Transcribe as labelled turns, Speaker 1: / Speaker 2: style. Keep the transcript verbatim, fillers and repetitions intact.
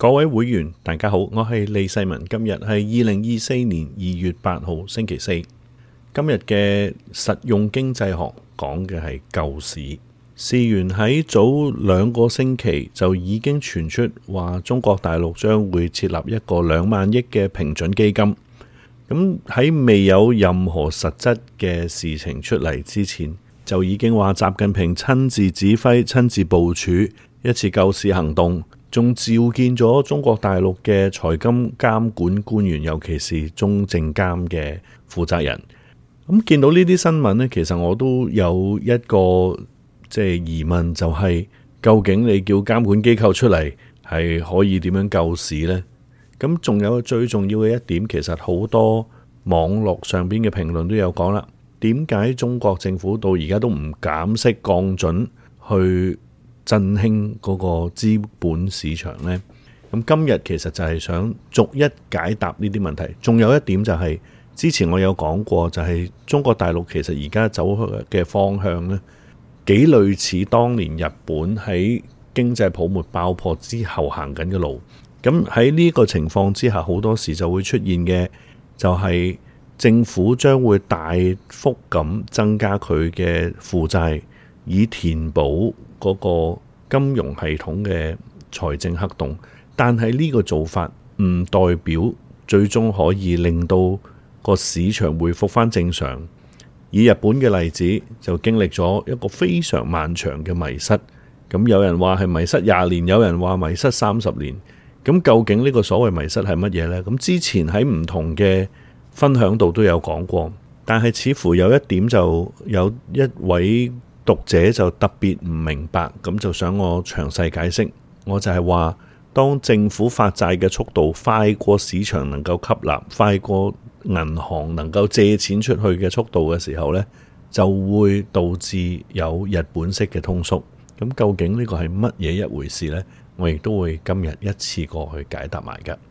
Speaker 1: 各位會員大家好，我係李世民。今日係二零二四年二月八號星期四。今日嘅實用經濟學講嘅係救市。事緣喺早兩個星期就已經傳出話中國大陸將會設立一個兩萬億嘅平準基金。咁喺未有任何實質嘅事情出嚟之前，就已經話習近平親自指揮、親自部署一次救市行動，仲召見咗中國大陸嘅財金監管官員，尤其是中證監嘅負責人。咁見到呢啲新聞呢，其實我都有一個即係疑問，就係究竟你叫監管機構出嚟係可以點樣救市呢？咁仲有最重要嘅一點，其實好多網絡上邊嘅評論都有講啦。點解中國政府到而家都唔減息降準去振興嗰個資本市場呢？咁今日其實就係想逐一解答呢啲問題。仲有一點就係、是、之前我有講過，就係中國大陸其實而家走嘅方向呢，幾類似當年日本喺經濟泡沫爆破之後行緊嘅路。咁喺呢個情況之下，好多時就會出現嘅就係政府將會大幅咁增加佢嘅負債，以填補嗰個金融系統嘅財政黑洞。但係呢個做法唔代表最終可以令到個市場回復翻正常。以日本嘅例子，就經歷咗一個非常漫長嘅迷失。咁有人話係迷失廿年，有人話迷失三十年。咁究竟呢個所謂迷失係乜嘢呢？咁之前喺唔同嘅分享度都有講過，但係似乎有一點就有一位讀者就特別唔明白，咁就想我詳細解釋。我就係話，當政府發債嘅速度快過市場能夠吸納，快過銀行能夠借錢出去嘅速度嘅時候呢，就會導致有日本式嘅通縮。咁究竟呢個係乜嘢一回事呢？我亦都會今日一次過去解答埋㗎。